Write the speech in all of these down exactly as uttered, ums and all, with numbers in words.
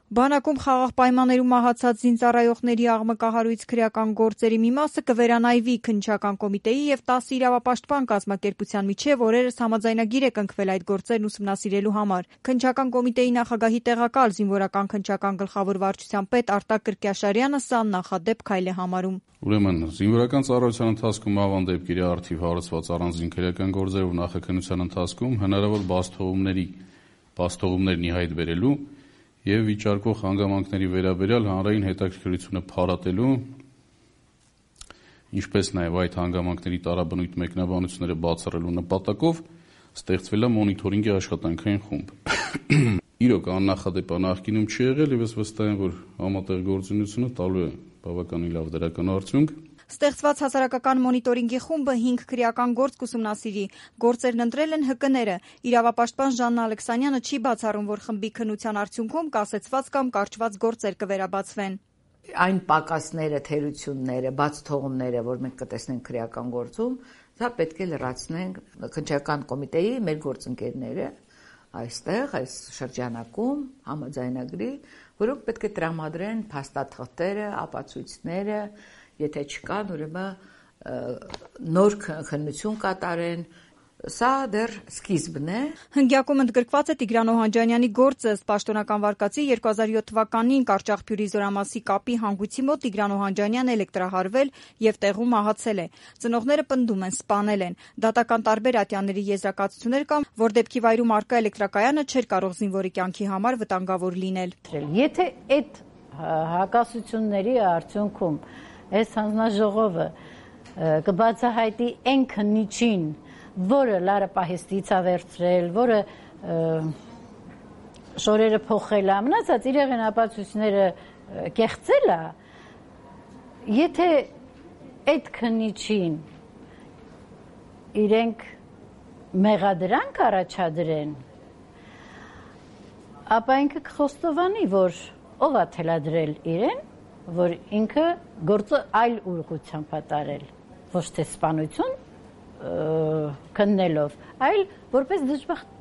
Բանակում խաղաղ պայմաններում մահացած զինծառայողների աղմկահարույց քրեական գործերի մի մասը կվերանայվի քննչական կոմիտեի եւ տասը իրավապաշտպան կազմակերպության միջեւ օրերս համաձայնագիր է կնքվել այդ գործերն ուսումնասիրելու համար։ Քննչական կոմիտեի նախագահի տեղակալ զինվորական քննչական գլխավոր վարչության պետ Արտակ Կրկյաշարյանը սա նախադեպ քայլ է համարում։ Ուրեմն զինվորական ծառայության ընթացքում ավան դեպքերի արդիվ հարուցված առանձին քրեական գործերով նախաքննության ընթացքում հնարավոր բացթողումների բացթողումներն ի հայտ բերելու եւ վիճարկող հանգամանքների վերաբերյալ հանրային հետաքրքրությունը փարատելու, ինչպես նաեւ այդ հանգամանքների տարաբնույթ մեկնաբանությունները բացառելու նպատակով ստեղծվել է մոնիթորինգի աշխատանքային խումբ։ Իրոք աննախադեպ նախկինում չի եղել եւ ես վստահ եմ, որ համատեղ գործունեությունը տալու է բավականին լավ դրական արդյունք։ Ստեղծված հասարակական մոնիտորինգի խումբը հինգ քրեական գործ կուսումնասիրի։ Գործերն ընտրել են ՀԿՆ-ը։ Իրավապաշտպան Ժաննա Ալեքսանյանը չի բացառում, որ խմբի քննության արդյունքում կասեցված կամ կարճված գործեր կվերաբացվեն։ Այն պակասները, թերությունները, բացթողումները, որ մենք կտեսնենք քրեական գործում, դա պետք է լրացնենք քննչական կոմիտեի մեր գործընկերները այստեղ, այս շրջանակում համաձայնագրի, որոնք պետք է տրամադրեն փաստաթղթերը, ապացույցները, եթե չկան, ուրեմն նոր քննություն կատարեն, սա դեռ սկիզբն է։ Հնգյակում ընդգրկված է Տիգրան Օհանջանյանի գործը, ըստ պաշտոնական վարկածի երկու հազար յոթ թվականին Կարճաղբյուրի Զորամասի կապի հանգույցի մոտ Տիգրան Օհանջանյանը էլեկտրահարվել եւ տեղում մահացել է։ Ծնողները պնդում են, սպանել են։ Դատական տարբեր ատյանների եզրակացություններ կան, որ դեպքի վայրում առկա էլեկտրակայանը չէր կարող զինվորի կյանքի համար վտանգավոր լինել։ Եթե այդ հակասությունների արդյունքում այս հանձնաժողովը կբացահայտի այն քննիչին, որը լարը պահեստից է վերցրել, որը շորերը փոխել է, մնացած իրեղեն ապացույցները կեղծել է, եթե այդ քննիչին իրենք մեղադրանք առաջադրեն, ապա ինքը կխոստովանի, որ ով է թելադրել իրեն, որ ինքը գործը այլ ուղղությամբ է տարել, ոչ թե սպանություն քննելով, այլ որպես դժբախտ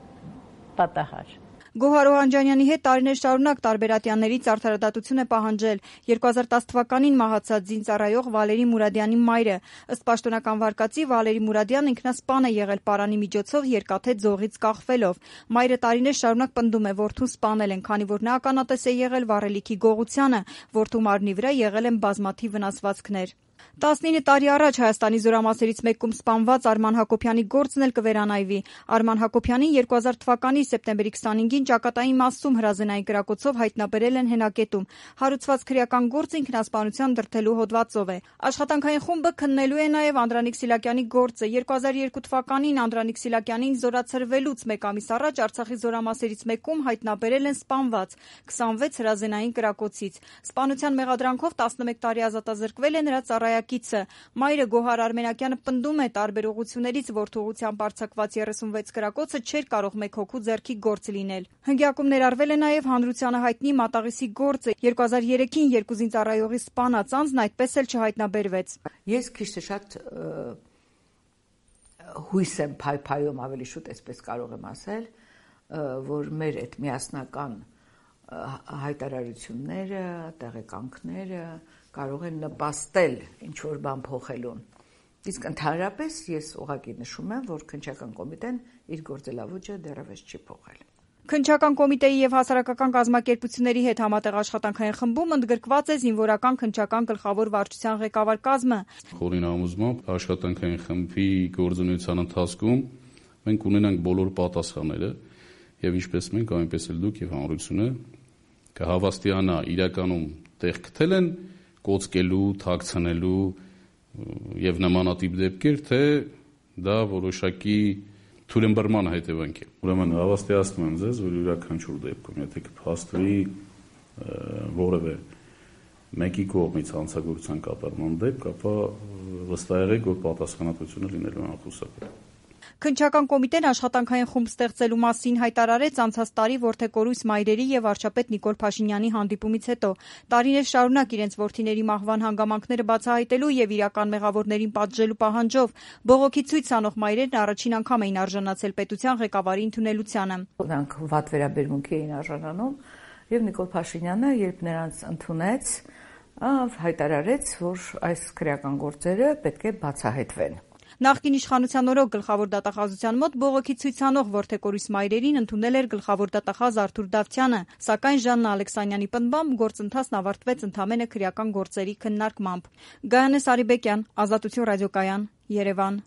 պատահար։ Գոհար Օհանջանյանի հետ տարիներ շարունակ տարբեր ատյաններից արդարադատություն է պահանջել երկու հազար տասը թվականին մահացած զինծառայող Վալերի Մուրադյանի մայրը։ Ըստ պաշտոնական վարկածի Վալերի Մուրադյանը ինքնասպան է եղել պարանի միջոցով երկաթե ձողից կախվելով։ Մայրը տարիներ շարունակ պնդում է որդուն սպանել են, քանի որ նա ականատես է եղել վառելիքի գողությանը, որդու մարմնի վրա եղել են բազմաթիվ վնասվածքներ։ տասնինը տարի առաջ Հայաստանի զորամասերից մեկում սպանված Արման Հակոբյանի գործն էլ կվերանայվի։ Արման Հակոբյանին երկու հազար թվականի սեպտեմբերի քսանհինգին ճակատային մասում հրազենային կրակոցով հայտնաբերել են հենակետում։ Հարուցված քրեական գործը ինքնասպանության դրդելու հոդվածով է։ Աշխատանքային խումբը քննելու է նաև Անդրանիկ Սիլակյանի գործը։ երկու հազար երկու թվականին Անդրանիկ Սիլակյանին զորացրվելուց մեկ ամիս առաջ Արցախի զորամասերից մեկում հայտնաբերել են սպանված քսանվեց հրազենային կրակոցից։ Սպանության մեղադրանքով տասնմեկ տարի ազատազրկվել է նրա ծառայակիցը։ Մայրը Գոհար Արմենակյանը պնդում է տարբեր ուղղություններից որդու ուղղությամբ արձակված երեսունվեց կրակոցը չէր կարող մեկ հոգու ձեռքի գործ լինել։ Հնգյակում ներառվել է նաև հանրությանը հայտնի Մատաղիսի գործը։ երկու հազար երեքին երկու զինծառայողի սպանած անձն այդպես էլ չհայտնաբերվեց։ Ես քիչ թե շատ հույս եմ փայփայում, ավելի շուտ այսպես կարող եմ ասել, որ մեր այդ միասնական հայտարարությունները, տեղեկանքները կարող են նպաստել ինչ-որ բան փոխելուն։ Իսկ ընդհանրապես ես ուղղակի նշում եմ, որ քննչական կոմիտեն իր գործելավոճը դեռևս չի փոխել։ Քննչական կոմիտեի եւ հասարակական կազմակերպությունների հետ համատեղ աշխատանքային խմբում ընդգրկված է զինվորական քննչական գլխավոր վարչության ղեկավար կազմը։ Խորին համոզմամբ աշխատանքային խմբի գործունեության ընթացքում մենք ունենանք բոլոր պատասխանները եւ ինչպես մենք, այնպես էլ դուք եւ հանրությունը կհավաստիանա իրականում տեղ գտել են կոծկելու, թաքցնելու եւ նմանատիպ դեպքեր, թե դա որոշակի թույլըմբռնման հետևանք է։ Ուրեմն հավաստիացնում եմ ձեզ, որ յուրաքանչյուր դեպքում, եթե կփաստվի որևէ մեկի կողմից հանցագործության կատարման դեպք, ապա վստահ եղեք, որ պատասխանատվությունը լինելու է անխուսափելի։ Քննչական կոմիտեն աշխատանքային խումբ ստեղծելու մասին հայտարարեց անցած տարի որդեկորույս մայրերի եւ վարչապետ Նիկոլ Փաշինյանի հանդիպումից հետո։ Տարիներ շարունակ իրենց որդիների մահվան հանգամանքները բացահայտելու եւ իրական մեղավորներին պատժելու պահանջով բողոքի ցույց անող մայրերն առաջին անգամ էին արժանացել պետության ղեկավարի ընդունելությանը։ Նրանք վատ վերաբերմունքի էին արժանանում Եվ Նիկոլ Փաշինյանը, երբ նրանց ընդունեց, հայտարարեց, որ այս քրեական գործերը պետք է բացահայտվեն։ Նախկին իշխանության օրոք գլխավոր դատախազության մոտ բողոքի ցույցանող որդեկորիս մայրերին ընդունել էր գլխավոր դատախազ Արթուր Դավթյանը, սակայն Ժաննա Ալեքսանյանի պնդմամբ գործընթացն ավարտվեց ընդամենը քրեական գործերի քննարկմամբ։ Գայանե Սարիբեկյան, Ազատություն ռադիոկայան, Երևան։